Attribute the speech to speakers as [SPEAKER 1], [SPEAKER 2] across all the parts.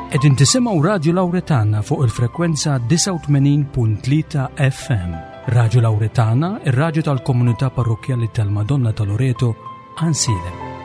[SPEAKER 1] Qegħdin tisimgħu Radju Lawretana fuq il-frekwenza 89.3 FM. Radju Lawretana, ir-radju tal-komunità parrokkjali tal-Madonna ta' Loreto, Ansilem.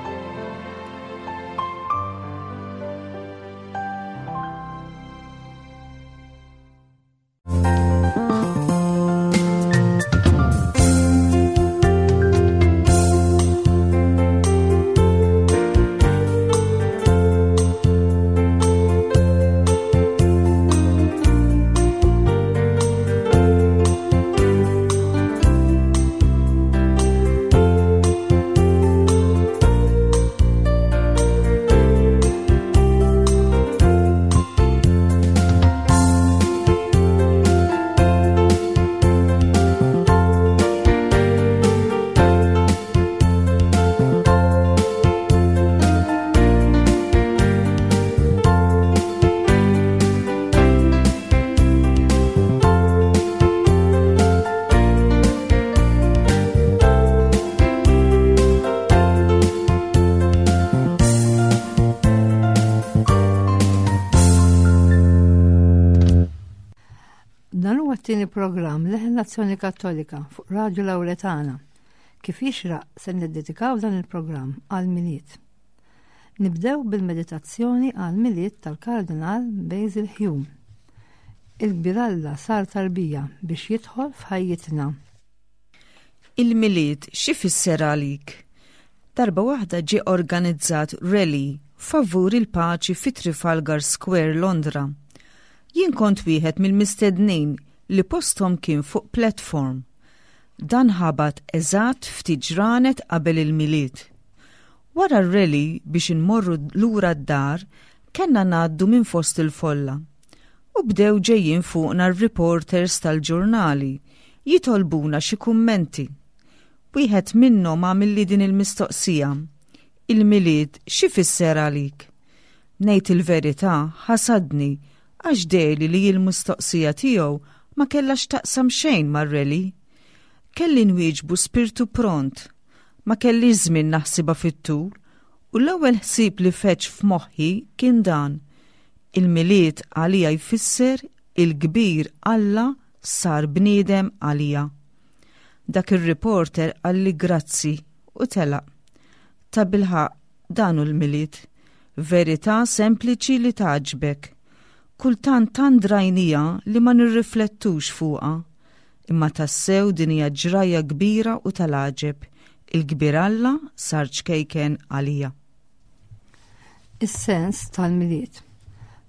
[SPEAKER 2] Dan huwa t-tieni programm Leħen l-Azzjoni Kattolika fuq Radju Lawretana. Kif jixraq se niddedikaw dan il-programm għal Milied. Nibdew bil-meditazzjoni għal Milied tal-Kardinal Basil Hume. Il-kbir Alla sar tarbija biex jidħol f'ħajjitna.
[SPEAKER 3] Il-Milied x'ifisser għalik? Darba waħda ġie organizzat rally favur il-paċi fi Trafalgar Square, Londra. Jien kont wieħed mill-mistednin li posthom kien fuq platform. Dan ħabat eżatt ftit ġranet qabel il-Milied. Wara r-rally biex inmorru lura d-dar kellna ngħaddu minn fost il-folla. U bdew ġejjin fuqna r-reporters tal-ġurnali jitolbuna xi kummenti. Wieħed minnhom għamilli din il-mistoqsija, Il-Milied x'ifisser għalik? Ngħid il-verità ħasadni għax dehli li l-mistoqsija tiegħu ma kellha x'taqsam xejn mar-rally. Kelli nwieġbu spirtu pront. Ma kellix żmien naħsibha fit-tul u l-ewwel ħsieb li feġġ f'moħħi kien dan, Il-Milied għalija jfisser il-kbir Alla sar bniedem għalija. Dak ir-reporter qalli grazzi u telaq. Tabilħaqq dan hu l-Milied. Verità sempliċi li tgħaġġbek. Kultant tant drajniha li ma nirriflettux fuqha. Imma tassew din hija ġrajja kbira u tal-għaġeb. Il-kbir Alla sar ċkejken għalija.
[SPEAKER 2] Is-sens tal-Milied.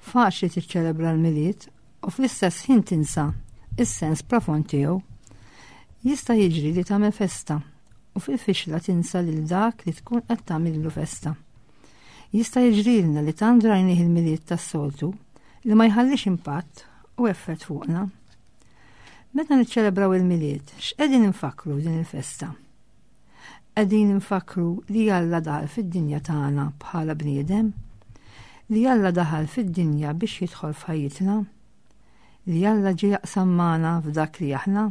[SPEAKER 2] Faċli tiċċelebra l-Milied u fl-istess ħin tinsa is-sens profond tiegħu. Jista' jiġri li tagħmel festa u fil-fixla tinsa lil dak li tkun qed tagħmillu festa. Jista' jiġrilna li tant drajnih il-Milied tas-soltu li ma jħallix impatt u effett fuqna. Meta niċċelebraw il-Milied, x'qegħdin infakkru f'din il-festa? Qegħdin infakkru li Alla daħal fid-dinja tagħna bħala bniedem, li Alla daħal fid-dinja biex jidħol f'ħajjitna, li Alla ġie jaqsam magħna f'dak li aħna,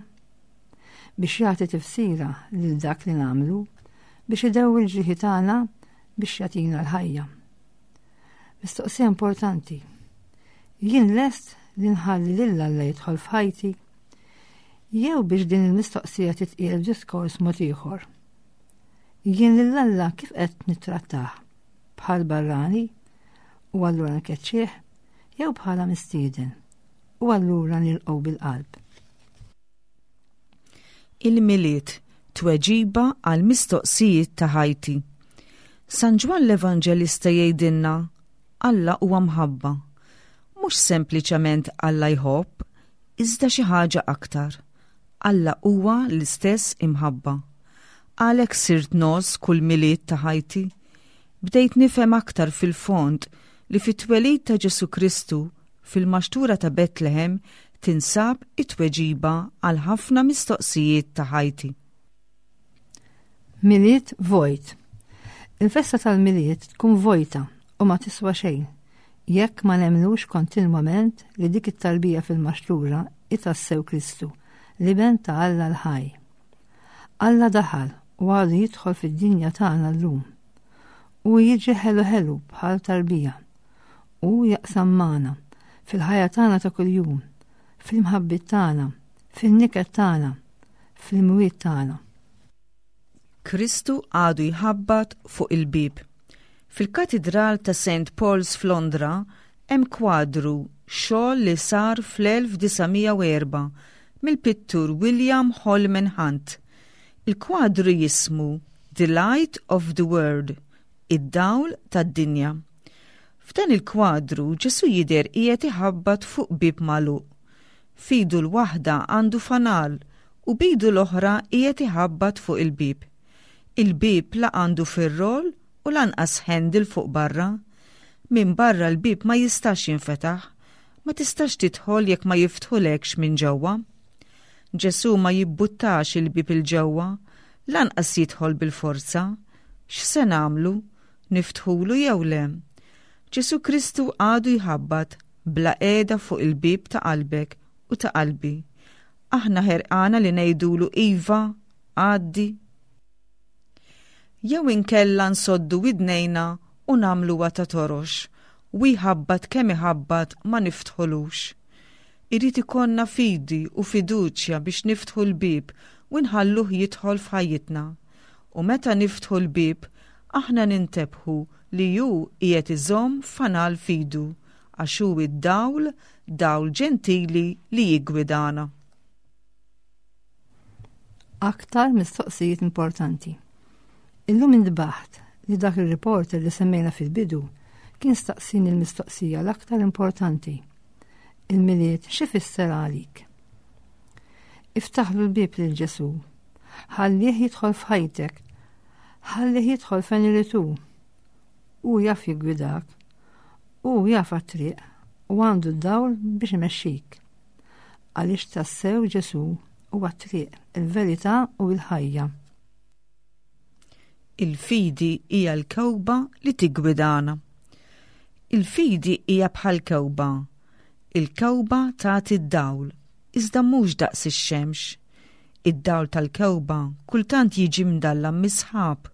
[SPEAKER 2] biex jagħti tifsira lil dak li nagħmlu, biex idewwi l-ġrieħi tagħna biex jagħtina l-ħajja. Mistoqsija importanti. Jien lest li nħalli lil Alla jidħol f'ħajti? Jew biex din il-mistoqsija titqiegħed f'diskors mod ieħor. Jien lil Alla kif qed nittrattah? Bħal barrani u allura nkeċċih jew bħala mistieden u allura nilqgħu bil-qalb.
[SPEAKER 3] Il-Milied, tweġiba għal mistoqsijiet ta' ħajti. San Ġwann l-Evanġelista jgħidilna Alla huwa mħabba. Mhux sempliċement Alla jħobb, iżda xi ħaġa aktar. Alla huwa l-istess imħabba. Għalhekk sirt ngħożż kull Milied ta' ħajti. Bdejt nifhem aktar fil-fond li fit-twelid ta' Ġesù Kristu Fil-maxtura ta' Betlehem tinsab it-tweġiba għal ħafna mistoqsijiet ta' ħajti.
[SPEAKER 2] Milied vojt. Il-festa tal-Milied tkun vojta u ma tiswa xejn jekk ma nemmnux kontinwament li dik it-tarbija fil-maxtura hi tassew Kristu, l-Iben ta' Alla l-ħaj. Alla daħal u għadu jidħol fid-dinja tagħna llum. Hu jiġi ħelu ħelu bħal tarbija. Hu jaqsam magħna fil-ħajja tagħna ta' kuljum, fl-imħabbiet tagħna, fin-niket tagħna, fl-imwiet tagħna.
[SPEAKER 3] Kristu għadu jħabbat fuq il-bieb. Fil-Katidral ta' St. Paul's f'Londra hemm kwadru xogħol li sar fl-1904 mill-pittur William Holman Hunt. Il-kwadru jismu The Light of the World, Id-Dawl tad-Dinja. F'dan il-kwadru Ġesù jidher qiegħed iħabbat fuq bieb magħluq. F'idu l-waħda għandu fanal u b'idu l-oħra qiegħed iħabbat fuq il-bieb. Il-bieb la għandu firrol u lanqas handle fuq barra. Minn barra l-bieb ma jistax jinfetaħ. Ma tistax tidħol jekk ma jiftħulekx minn ġewwa. Ġesù ma jibbuttax il-bieb 'il ġewwa, lanqas jidħol bil-forza. X'se nagħmlu? Niftħulu jew le? Ġesù Kristu għadu jħabbat bla qiegħda fuq il-bieb ta' qalbek u ta' qalbi. Aħna ħerqana li ngħidulu iva, għaddi. Jew inkella nsoddu widnejna u nagħmluha ta' torox u jħabbat kemm iħabbat ma niftħulux. Irid ikollna fidi u fiduċja biex niftħu l-bieb u nħalluh jidħol f'ħajjitna. U meta niftħu l-bieb, aħna nintebħu li hu qiegħed iżomm fanal f'idu, għax hu d-dawl, dawl ġentili li jiggwidana.
[SPEAKER 2] Aktar mistoqsijiet importanti. Illum intbaħt li dak ir-reporter li semmejna fil-bidu kien staqsini l-mistoqsija l-aktar importanti. Il-Milied x'ifisser għalik? Iftaħlu l-bieb lil Ġesù. Ħallih jidħol f'ħajtek. Ħallih jidħol fejn irid hu. Hu jaf jiggwidak. Hu jaf għat-triq u għandu d-dawl biex imexxik. Għaliex tassew Ġesù huwa t-triq, il-verità u l-ħajja.
[SPEAKER 3] Il-fidi hija l-kewba li tiggwidana. Il-fidi hija bħal kewba. Il-kewba tagħti d-dawl, iżda mhux daqs ix-xemx. Id-dawl tal-kewba kultant jiġi mdallam mis-sħab.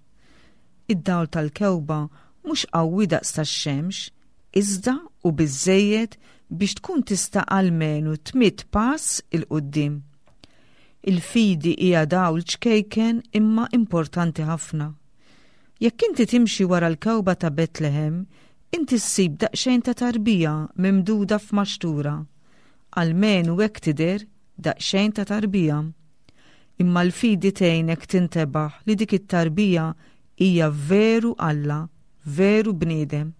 [SPEAKER 3] Id-dawl tal-kewba mhux qawwi daqs tax-xemx, iżda hu biżżejjed biex tkun tista' almenu tmidd pass 'il quddiem. Il-fidi hija dawl ċkejken imma importanti ħafna. Jekk inti timxi wara l-kewba ta' Betlehem, inti ssib daqsxejn ta' tarbija mimduda f'maxtura. Almenu hekk tidher, daqsxejn ta' tarbija. Imma l-fidi tgħinek tintebaħ li dik it-tarbija hija veru Alla, veru bniedem.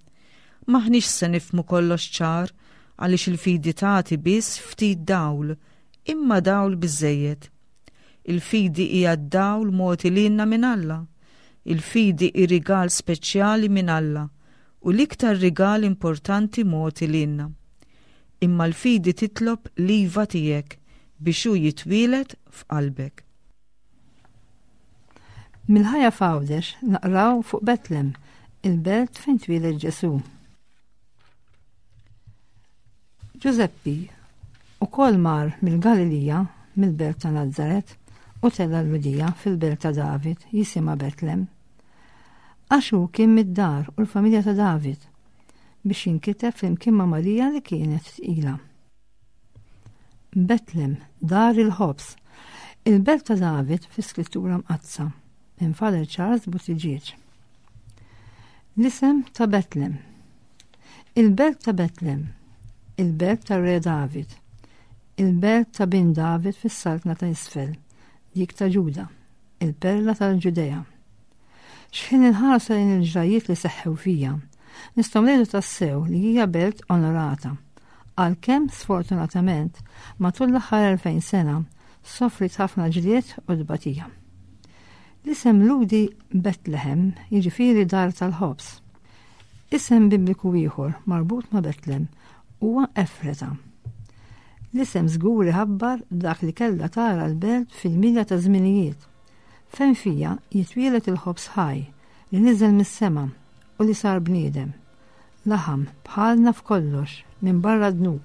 [SPEAKER 3] M'aħniex se nifhmu kollox ċar għaliex il-fidi tagħti biss ftit dawl, imma dawl biżżejjed. Il-fidi hija d-dawl mogħti lilna minn Alla. Il-fidi hi rigal speċjali minn Alla u l-iktar rigal importanti mogħti lilna. Imma l-fidi titlob l-iva tiegħek biex hu jitwieled f'qalbek.
[SPEAKER 2] Mill-ħajja f'Għawdex naqraw fuq Betlem, il-belt fejn twieled Ġesù. Ġużeppi ukoll mar mill-Galilija, mill-belt ta' Nazaret, u tela' l-Lhudija fil-belt ta' David jisimha Betlem. Għax hu kien mid-dar u l-familja ta' David, biex jinkiteb flimkien ma' Marija li kienet tqila. Betlem, dar il-ħobż. Il-belt ta' David fl-Iskrittura Mqaddsa, minn Father Charles Buttigieg. L-isem ta' Betlem. Il-belt ta' Betlem, il-belt ta' Re David, il-belt ta' bin David fis-saltna ta' isfel, dik ta' Ġuda, il-perla tal-Ġudea. X'ħin inħarsu lejn il-ġrajjiet li seħħew fija, nistgħu ngħidu tassew li hija belt onorata. Għalkemm sfortunatament matul l-aħħar 2000 sena sofriet ħafna ġlied u tbatija. L-isem Lhudi Betlehem jiġifieri dar tal-ħobż. Isem Bibliku ieħor marbut ma' Betlem huwa Efreta. L-isem żgur iħabbar dak li kellha tara l-belt fil-milja ta' żminijiet, fejn fija jitwieled il-ħobż ħaj li niżel mis-sema u li sar bniedem, laħam bħalna f'kollox minbarra d-dnub.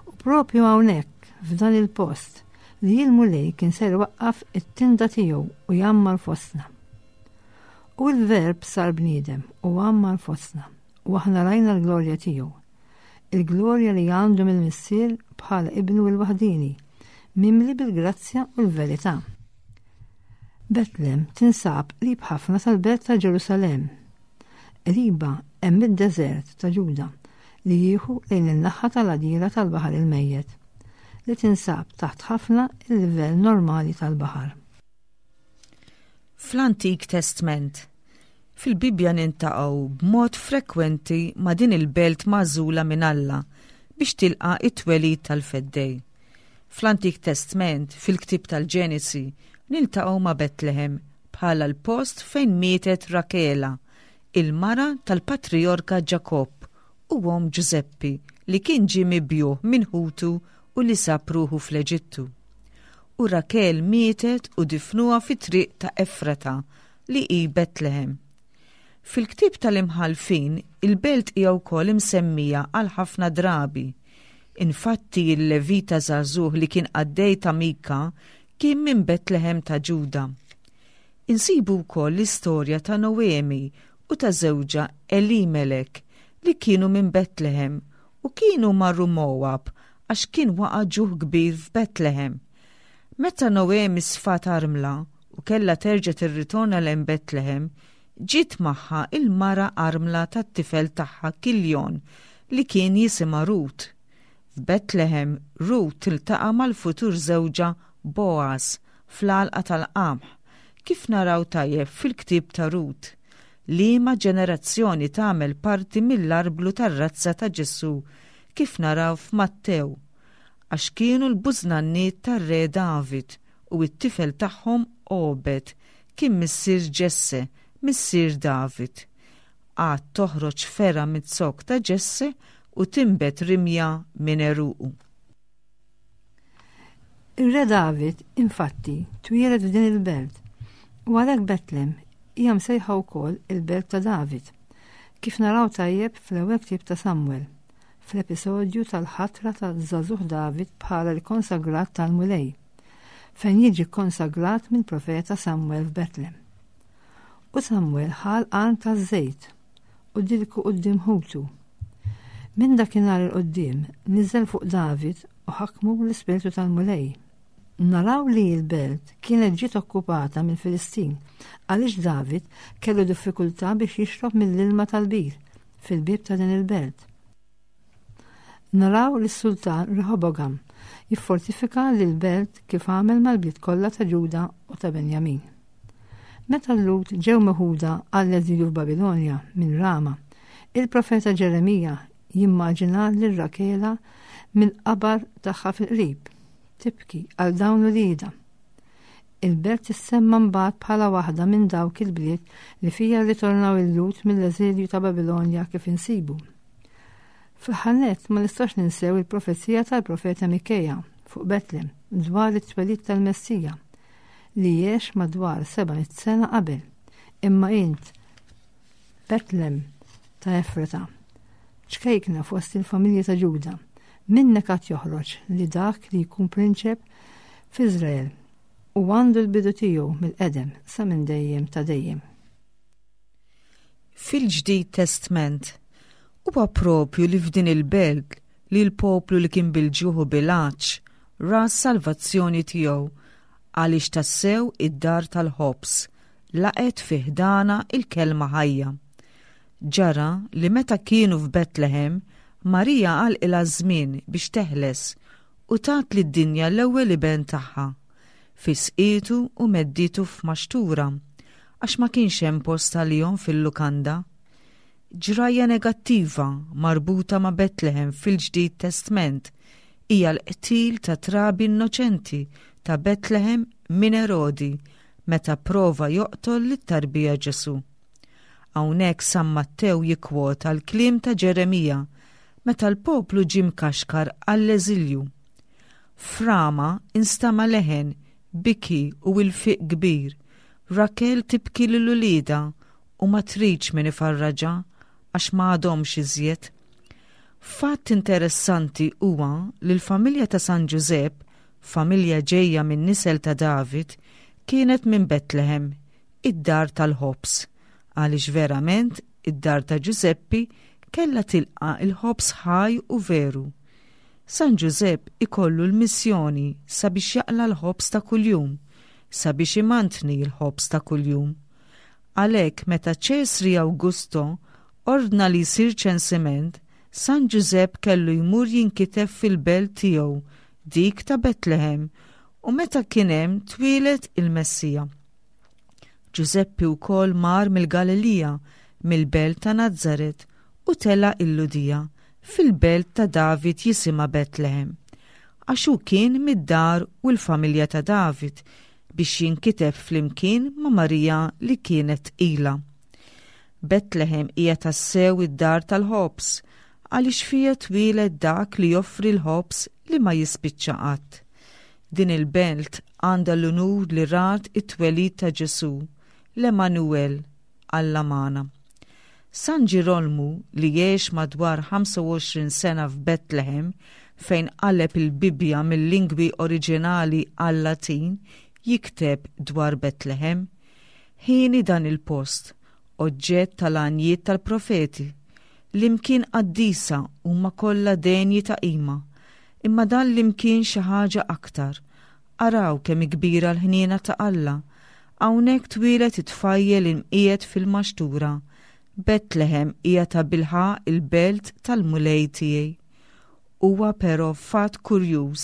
[SPEAKER 2] U propju hawnhekk, f'dan il-post, li l-Mulej kien ser iwaqqaf it-tinda tiegħu u jgħammar fostna. U l-Verb sar bniedem u għammar fostna. u aħna rajna l-glorja tiegħu. Il-glorja li għandu mill-Missier bħala ibnu l-waħdini, mimli bil-grazzja u l-verità. Betlem tinsab qrib ħafna tal-belt ta' Ġerusalemm. Qribha hemm id-deżert ta' Ġuda li jieħu lejn in-naħa tal-għadira tal-Baħar il-Mejjet, li tinsab taħt ħafna il-livell normali tal-baħar.
[SPEAKER 3] Fl-Antik Testment, fil-Bibbja nintaqgħu b'mod frekwenti ma' din il-belt magħżula minn Alla biex tilqa' it-twelid tal-Feddej. Fl-Antik Testment, fil-ktieb tal-Ġenesi, niltaqgħu ma' Betlehem bħala l-post fejn mietet Rakela, il-mara tal-patrijorka Ġakobb u omm Ġużeppi li kien ġie mibjugħ minn ħutu u li sab ruħu fl-Eġittu. U Rakel mietet u difnuha fit-triq ta' Efrata li hi Betlehem. Fil-ktieb tal-Imħallfin, il-belt hija wkoll imsemmija għal ħafna drabi. Infatti il-Levita żagħżugħ li kien qaddej ta' Mika kien minn Betlehem ta' Ġuda. Insibu wkoll l-istorja ta' Noemi u ta' żewġha Elimelek li kienu minn Betlehem u kienu marru Mowab għax kien waqa' ġuħ kbir f'Betlehem. Meta Noemi sfat armla u kellha terġa' tirritorna lejn Betlehem, ġiet magħha il-mara armla tat-tifel tagħha Kiljon li kien jisimha Rut. F'Betlehem, Rut tiltaqa' mal-futur żewġha Boaz fl-għalqa tal-qamħ, kif naraw tajjeb fil-ktieb ta' Rut, liema ġenerazzjoni tagħmel parti mill-arblu tar-razza ta' Ġesù kif naraw f'Mattew, għax kienu l-bużnanniet tar-Re David u t-tifel tagħhom Obed kien missier Ġesse, missier David. Għad toħroġ fergħa miz-zokk ta' Ġesse u tinbet rimja minn għeruqu.
[SPEAKER 2] Ir-Re David, infatti, twieled f'din il-belt, u għalhekk Betlem hija msejħa wkoll il-belt ta' David, kif naraw tajjeb fl-ewwel ktieb ta' Samwel, fl-episodju tal-ħatra ta' żagħżugħ David bħala l-konsagrat tal-Mulej, fejn jiġi kkonsagrat mill-profeta Samwel f'Betlem. U Samwel ħa l-qarn taż-żejt u dilku quddiem ħutu. Minn dakinhar 'il quddiem niżel fuq David u ħakmu l-Ispirtu tal-Mulej. Naraw li l-belt kienet ġiet okkupata mill-Filistin għaliex David kellu diffikultà biex jixrob mill-ilma tal-bir fil-bieb ta' din il-belt. Naraw lis-sultan Reħobogam jiffortifika lill-belt kif għamel mal-bliet kollha ta' Ġuda u ta' Benjamin. Meta l-Lhud ġew meħuda għall-eżilju f'Babilonja minn Rama, il-profeta Ġeremija jimmaġina lil Rakela mill-qabar tagħha fil-qrib, tibki għal dawn uliedha. Il-belt tissemma mbagħad bħala waħda minn dawk il-bliet li fija rritornaw il-Lhud mill-eżilju ta' Babilonja kif insibu. Fl-aħħar nett ma nistax ninsew il-profezija tal-profeta Mikeja fuq Betlem dwar it-twelid tal-Messija li għex madwar 700 sena qabel. Imma int, Betlem ta' Efrata, ċkejkna fost il-familji ta' Ġuda, minnek għad joħroġ li dak li jkun prinċep f'Iżrael u għandu l-bidu tiegħu mill-qedem sa minn dejjem ta' dejjem.
[SPEAKER 3] Fil-Ġdid Testment, huwa propju li f'din il-belt li l-poplu li kien bil-ġuħ u bil-għatx ra s-salvazzjoni tiegħu għaliex tassew id-dar tal-ħobż laqgħet fi ħdanha il-kelma ħajja. Ġara li meta kienu f'Betlehem, Marija għalqilha ż-żmien biex teħles u tat lid-dinja l-ewwel iben tagħha. Fisqietu u meddietu f'maxtura għax ma kienx hemm post għalihom fil-lukanda. Ġrajja negattiva marbuta ma' Betlehem fil-Ġdid Testment hija l-qtil ta' trabi innoċenti ta' Betlehem minn Erodi meta pprova joqtol lit-tarbija Ġesù. Hawnhekk San Mattew jikkwota l-kliem ta' Ġeremija meta l-poplu ġie mkaxkar għall-eżilju. F'Rama instama' leħen, biki u ilfiq kbir, Rakel tibki lil uliedha u ma tridx min ifarraġha għax ma għadhomx iżjed. Fatt interessanti huwa li l-familja ta' San Ġużepp, familja ġejja min-nisel ta' David, kienet minn Betlehem, id-dar tal-ħobż, għaliex verament id-dar ta' Ġużeppi kellha tilqa' l-ħobż ħaj u veru. San Ġużepp ikollu l-missjoni sabiex jaqla' l-ħobż ta' kuljum, sabiex imantni l-ħobż ta' kuljum. Għalhekk meta Ċesri Awgusto ordna li jsir ċensiment, San Ġużepp kellu jmur jinkiteb fil-belt tiegħu, dik ta' Betlehem, u meta kien hemm twieled il-Messija. Ġużeppi wkoll mar mill-Galilija, mill-belt ta' Nazaret, u tela' il-Lhudija, fil-belt ta' David jisimha Betlehem, għax hu kien mid-dar u l-familja ta' David, biex jinkiteb flimkien ma' Marija li kienet tqila. Betlehem hija tassew id-dar tal-ħobż, għaliex fiha twieled dak li joffri l-ħobż li ma jispiċċa qatt. Din il-belt għandha l-unur li rat it-twelid ta' Ġesù, l-Emmanuel, Alla magħna. San Ġirolmu, li għex madwar 25 sena f'Betlehem, fejn qaleb il-Bibbja mil-lingwi oriġinali għal-Latin, jikteb dwar Betlehem, Hieni dan il-post, oġġett tal-għanjiet tal-profeti. L-imkien qaddisa huma kollha denji ta' qima, imma dan l-imkien xi ħaġa aktar. Araw kemm hi kbira l-ħniena ta' Alla! Hawnhekk twieled it-tfajjel imqiegħed fil-maxtura. Betlehem hija tabilħaqq il-belt tal-Mulej tiegħi. Huwa però fatt kurjuż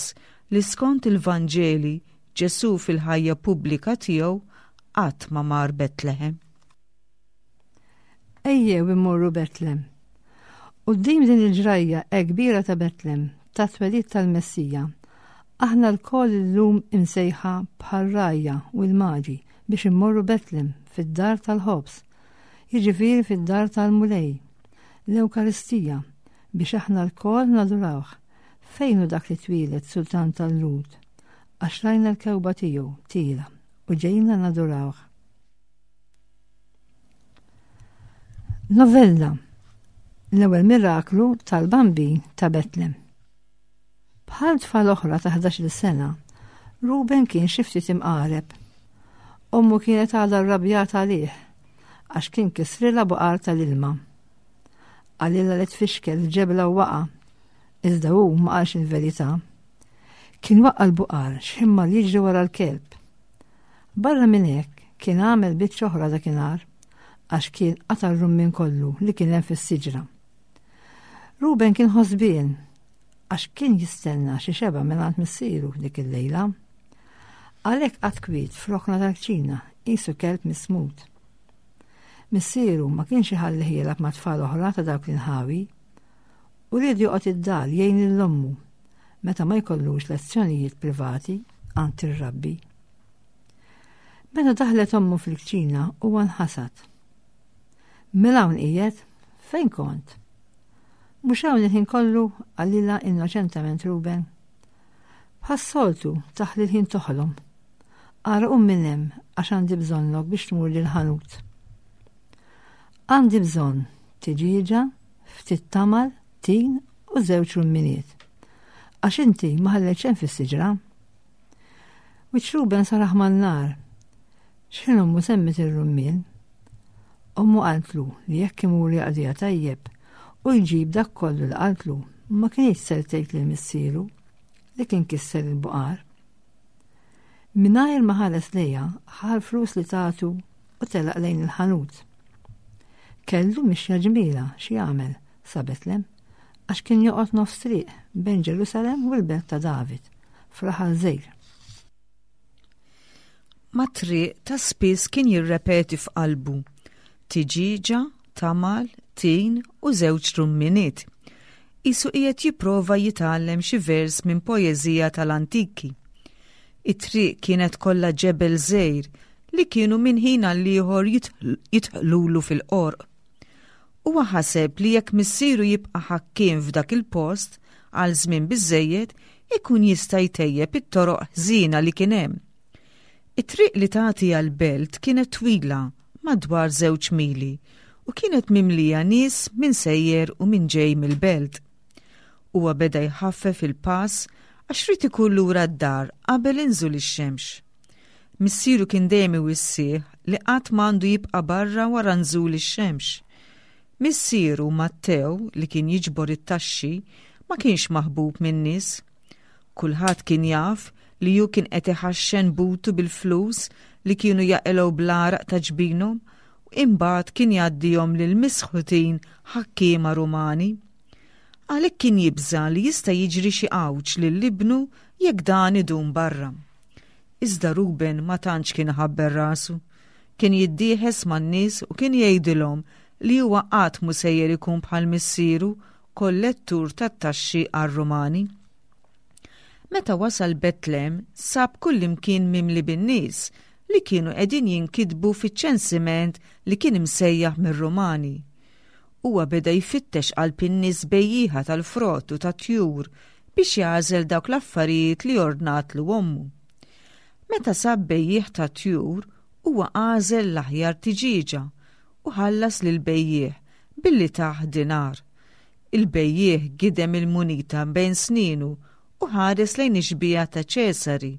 [SPEAKER 3] li skont il-Vanġeli Ġesù fil-ħajja pubblika tiegħu qatt ma mar Betlehem.
[SPEAKER 2] Ejjew immorru Betlem. Quddiem din il-ġrajja hekk kbira ta' Betlem, tat-twelid tal-Messija, aħna lkoll illum imsejħa bħar-rgħajja u l-maġi biex immorru Betlem fid-dar tal-ħobż, jiġifieri fid-dar tal-Mulej, l-Ewkaristija, biex aħna lkoll nadurawh. Fejn hu dak li twieled sultan tal-Lhud? Għax rajna l-kewba tiegħu tiela u ġejna nadurawh. Novella L-ewwel miraklu tal-Bambin ta' Betlem. Bħal tfal oħra ta' 11-il sena, Ruben kien xi ftit imqareb. Ommu kienet għadha rrabjata għalih għax kien kisrilha buqar tal-ilma. Qalilha li tfixkel f'ġebla u waqa', iżda hu ma qalx il-verità. Kien waqqa' l-buqar x'ħin mar jiġri wara l-kelb. Barra minn hekk, kien għamel biċċa oħra dakinhar għax kien qata' r-rummien kollu li kien hemm fis-siġra. Ruben kien ħosbien għax kien jistenna xi xebgħa mingħand missieru dik il-lejla. Għalhekk qagħad kwiet f'rokna tal-kċina qisu kelb mismut. Missieru ma kienx iħallih jilgħab ma' tfal oħra ta' dawk l-inħawi u ried joqgħod id-dar jgħin lil ommu meta ma jkollux lezzjonijiet privati għand ir-rabbi. Meta daħlet ommu fil-kċina huwa nħasad. Mela hawn qiegħed? Fejn kont? Mhux hawn il-ħin kollu qalilha innoċentament Ruben. Bħas-soltu taħli l-ħin toħlom. Ara qum minn hemm għax għandi bżonnok biex tmur lill-ħanut. Għandi bżonn tiġieġa, ftit tamal, tin u żewġ rumminiet. Għax inti ma ħallejt xejn fis-siġra. Wiċċ Ruben sar aħmar nar. X'ħin ommu semmiet ir-rummien. Ommu qaltlu li jekk imur jaqdiha tajjeb u jġib dak kollu li qaltlu ma kinitx ser tgħid lil missieru li kien kisser il-buqar. Mingħajr ma ħares lejha ħa l-flus li tatu u telaq lejn il-ħanut. Kellu mixja ġmila xi jagħmel sa Betlem għax kien joqgħod nofs triq bejn Ġerusalemm u l-belt ta' David, f'raħal żgħir.
[SPEAKER 3] Mat-triq ta' spiss kien jirrepeti f'qalbu, Tiġieġa, tamal, tin u żewġ rumminiet. Qisu qiegħed jipprova jitgħallem xi vers minn poeżija tal-antiki. It-triq kienet kollha ġebel żgħir li kienu minn ħin għall-ieħor jidħlulu fil-qorq. Huwa ħaseb li jekk missieru jibqa' ħakkiem f'dak il-post għal żmien biżżejjed ikun jista' jtejjeb it-toroq ħżiena li kien hemm. It-triq li tagħti għall-belt kienet twila madwar żewġ mili u kienet mimlija nies min sejjer u min ġej mill-belt. Huwa beda jħaffef il-pass għax ried ikun lura d-dar qabel inżul ix-xemx. Missieru kien dejjem iwissih li qatt m'għandu jibqa' barra wara nżul ix-xemx. Missieru Mattew li kien jiġbor it-taxxi ma kienx maħbub min-nies. Kulħadd kien jaf li hu kien qed iħaxxen butu bil-flus li kienu jaqilgħu bl-għaraq ta' ġbinhom u imbagħad kien jgħaddihom lil misħutin ħakkiema Rumani. Għalhekk kien jibża' li jista' jiġri xi għawġ lil ibnu jekk dan idum barra. Iżda Ruben ma tantx kien iħabbel rasu. Kien jiddieħes man-nies u kien jgħidilhom li huwa qatt mhu sejjer ikun bħal missieru kollettur tat-taxxi għar-Rumani. Meta wasal Betlem sab kullimkien mimli bin-nies li kienu qegħdin jinkitbu fiċ-ċensiment li kien imsejjaħ mir-Rumani. Huwa beda jfittex qalb in-nies bejjieħa tal-frott u tat-tjur biex jagħżel dawk l-affarijiet li ordnatlu ommu. Meta sab bejjiegħ tat-tjur, huwa għażel l-aħjar tiġieġa u ħallas lill-bejjiegħ billi tah dinar. Il-bejjiegħ gidem il-munita bejn snienu u ħares lejn ix-xbieha ta' Ċesari,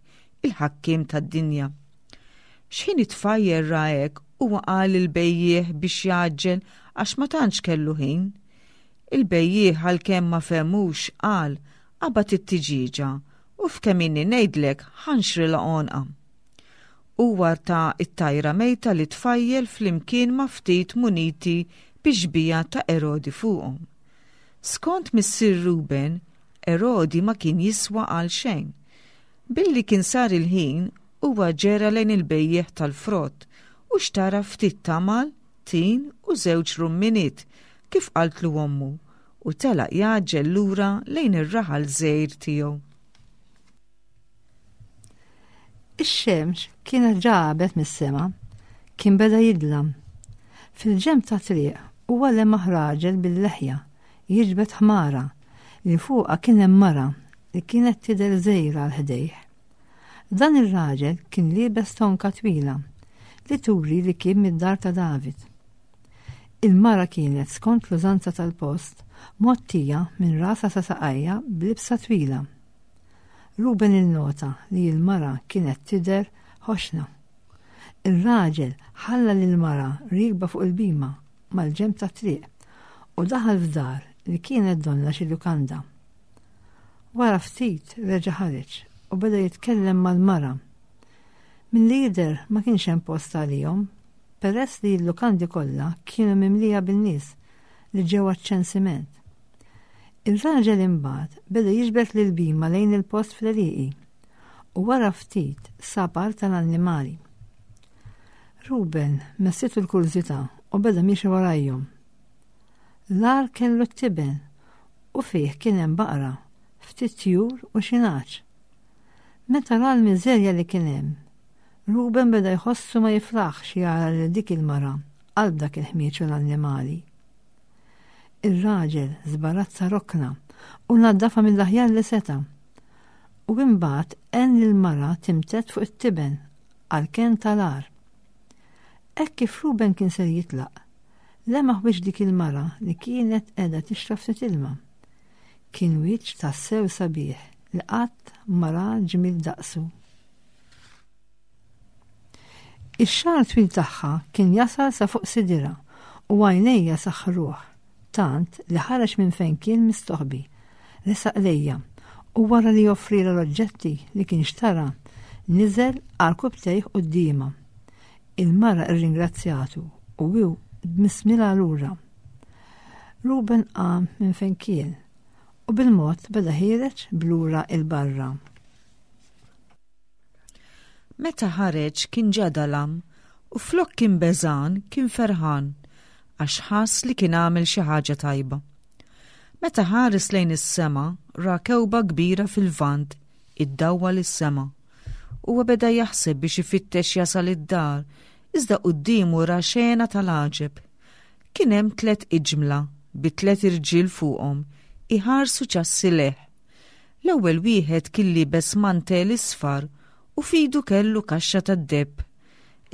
[SPEAKER 3] il-ħakkiem tad-dinja. X'ħin it-tfajjel ra hekk, huwa qal lill-bejjiegħ biex jgħaġġel għax ma tantx kellu ħin. Il-bejjiegħ għalkemm ma fehmux qal, qabad it-tiġieġa u f'kemm inni ngħidlek ħa nxrilha għonqha. Huwa ta t-tajra mejta lit-tfajjel flimkien ma' ftit muniti bix-xbieha ta' Erodi fuqhom. Skont missier Ruben, Erodi ma kien jiswa għal xejn. Billi kien sar il-ħin, huwa ġera lejn il-bejjiegħ tal-frott u xtara ftit tamal, tin u żewġ rumminiet, kif qaltlu ommu, u telaq jgħaġġel lura lejn ir-raħal żgħir tiegħu.
[SPEAKER 2] Ix-xemx kienet ġa għabet mis-sema, kien beda jidlam. Fil-ġenb ta' triq huwa lemaħ raġel bil-leħja jiġbed ħmara li fuqha kien hemm mara li kienet tidher żgħira għal ħdejh. Dan ir-raġel kien liebes tonka twila li turi li kien mid-dar ta' David. Il-mara kienet skont l-użanza tal-post mgħottija minn rasha sa saqajha b'libsa twila. Ruben innota li l-mara kienet tidher ħoxna. Ir-raġel ħalla lill-mara riekba fuq il-bima mal-ġenb tat-triq u daħal f'dar li kienet donnha xi lukanda. Wara ftit reġa' ħareġ u beda jitkellem mal-mara. Milli jidher ma kienx hemm post għalihom peress li l-lukandi kollha kienu mimlija bin-nies li ġew għaċ-ċensiment. Ir-raġel imbagħad beda jiġbed lill-bhima lejn il-post fl-għelieqi u wara ftit sab għar tal-annimali. Ruben messitu l-kurżità u beda miexi warajhom. L-għar kellu t-tiben u fih kien hemm baqra, ftit tjur u xi nagħaġ. Meta ra l-miżerja li kien hemm, Ruben beda jħossu ma jiflaħx jara lil dik il-mara qalb dak il-ħmieġ u l-annimali. Ir-raġel żbarazza rokna u naddafha mill-aħjar li seta'. U imbagħad għen lill-mara timtedd fuq it-tiben għall-kenn tal-għar. Hekk kif Ruben kien ser jitlaq, lemaħ wiċċ dik il-mara li kienet qiegħda tixrob ftit ilma. Kien wiċċ tassew sabiħ li qatt ma ra ġmiel daqsu. Ix-xagħar twil tagħha kien jasal sa fuq sidirha u għajnejja saħħruh tant li ħareġ minn fejn kien mistoħbi, resaq lejja u wara li offrielha l-oġġetti li kien xtara, niżel għarkupptejh quddiemha. Il-mara rringrazzjatu u hu dmissmilha lura. Ruben qam minn fejn kien u bil-mod beda ħiereġ b'lura 'l barra.
[SPEAKER 3] Meta ħareġ kien ġa dalam u flok kien beżgħan kien ferħan għax ħass li kien għamel xi ħaġa tajba. Meta ħares lejn is-sema ra kewba kbira fil-Lvant iddawwal is-sema. Huwa beda jaħseb biex ifittex jasal id-dar iżda quddiemu ra xena tal-għaġeb. Kien hemm tlett iġmla bi tlett irġiel fuqhom iħarsu ċassi lejh. L-ewwel wieħed kien liebes mantell isfar u f'idu kellu kaxxa tad-deheb.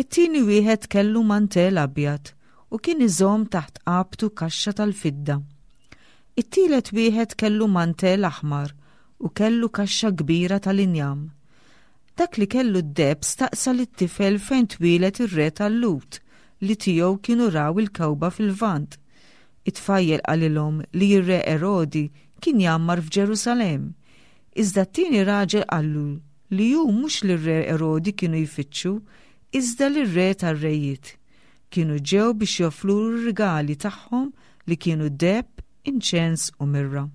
[SPEAKER 3] It-tieni wieħed kellu mantell abjad u kien iżomm taħt qabtu kaxxa tal-fidda. It-tielet wieħed kellu mantell aħmar u kellu kaxxa kbira tal-injam. Dak li kellu d-deheb staqsa lit-tifel fejn twieled ir-re tal-Lhud li tiegħu kienu raw il-kewba fil-Lvant. It-tfajjel qalilhom li r-re Erodi kien jgħammar f'Ġerusalemm. Iżda t-tieni raġel qallu li hu mhux lir-re Erodi kienu jfittxu, iżda lir-Re tar-rejiet. Kienu ġew biex joffrulu r-rigali tagħhom li kienu deheb, inċens u mirra.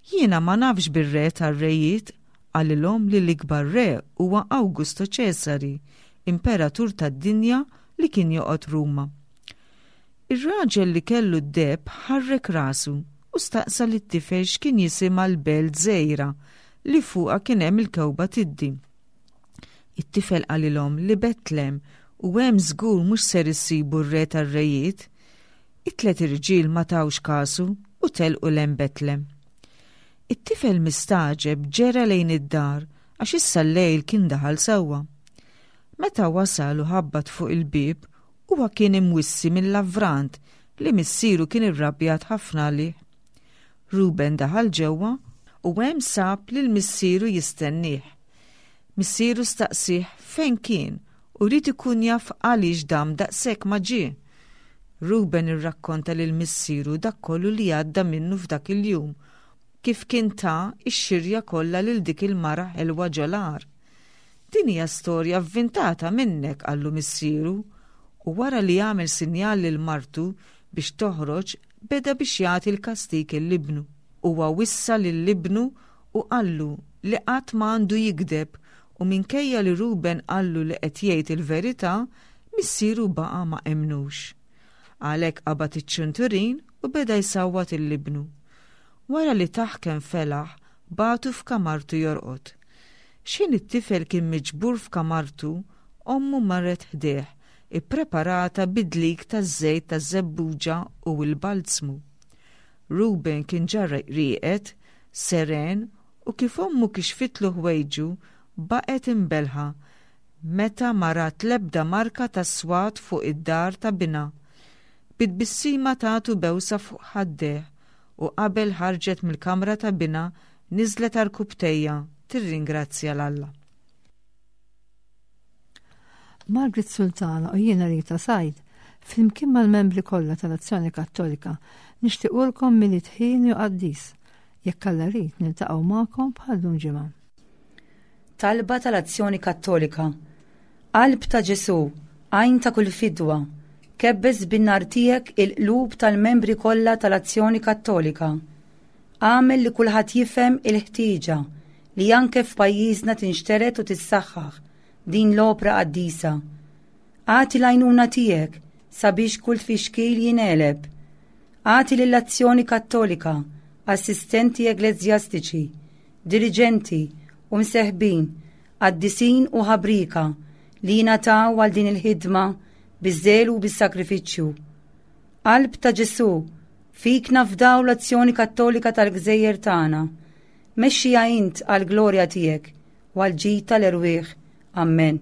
[SPEAKER 3] Jiena ma nafx bir-Re tar-rejiet, qalilhom li l-ikbar re huwa Awgusto Ċesari, imperatur tad-dinja li kien joqgħod Ruma. Ir-raġel li kellu d-deheb ħarrek rasu u staqsa lit-tifel x'kien jisimha l-belt żgħira li fuqha kien hemm il-kewba tiddi. It-tifel qalilhom li Betlem u hemm żgur mhux ser issibu r-re tar-rejiet. It-tlet irġiel ma tawx kasu u telqu 'l hemm Betlem. It-tifel mistagħġeb ġera lejn id-dar għax issa l-lejl kien daħal sewwa. Meta wasal u ħabbat fuq il-bieb, huwa kien imwissi mill-lavrant li missieru kien irrabjat ħafna għalih. Ruben daħal ġewwa u hemm sab lil missieru jistennieh. Missieru staqsieh fejn kien u ried ikun jaf għaliex dam daqshekk ma ġie. Ruben irrakkonta lil missieru dak kollu li għadda minnu f'dak il-jum, kif kien ta x-xirja kollha lil dik il-mara ħelwa ġol-għar. Din hija storja vvintata minnek, qallu missieru, u wara li għamel sinjal lil martu biex toħroġ beda biex jagħti l-kastig 'l ibnu. Huwa wissa lil ibnu u qallu li qatt ma għandu jigdeb u minkejja li Ruben qallu li qed jgħid il-verità, missieru baqa' ma emmnux. Għalhekk qabad iċ-ċinturin u beda jsawwat 'il ibnu. Wara li tah kemm felaħ, bagħtu f'kamartu jorqod. X'ħin it-tifel kien miġbur f'kamartu, ommu marret ħdejh, ippreparata bid-dlik taż-żejt taż-żebbuġa u l-balzmu. Ruben kien ġa rieqed, seren, u kif ommu kixfitlu ħwejġu, baqgħet imbellħa meta ma rat l-ebda marka ta' swat fuq id-dahar ta' binha. Bi tbissima tatu bewsa fuq ħaddejh u qabel ħarġet mill-kamra ta' binha niżlet għarkupptejha tirringrazzja 'l Alla.
[SPEAKER 2] Margaret Sultana u jiena Rita Said, flimkien mal-membri kollha tal-Azzjoni Kattolika, nixtiequlkom Milied ħieni u qaddis. Jekk Alla rid niltaqgħu magħkom bħal lum ġimgħa.
[SPEAKER 4] Talba tal-Azzjoni Kattolika Qalb ta' Ġesù, għajn ta' kull fidwa, kebbes bin-nar tiegħek il-qlub tal-membri kollha tal-Azzjoni Kattolika. Agħmel li kulħadd jifhem il-ħtieġa li anke f'pajjiżna tinxtered u tissaħħaħ din l-opra qaddisa. Agħti l-għajnuna tiegħek sabiex kull tfixkil jingħeleb. Agħti lill-Azzjoni Kattolika assistenti ekleżjastiċi, diriġenti u mseħbin, qaddisin u ħabrieka li jingħataw għal din il-ħidma biż-żelu u bis-sagrifiċċju. Qalb ta' Ġesù, fik nafdaw l-azzjoni kattolika tal-gżejjer tagħna. Mexxiha int għall-glorja tiegħek u għall-ġid tal-erwieħ. Ammen.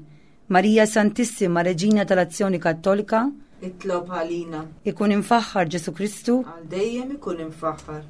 [SPEAKER 4] Marija Santissima, Reġina tal-Azzjoni Kattolika,
[SPEAKER 3] Itlob għalina.
[SPEAKER 4] Ikun imfaħħar Ġesù Kristu.
[SPEAKER 3] Għal dejjem ikun imfaħħar.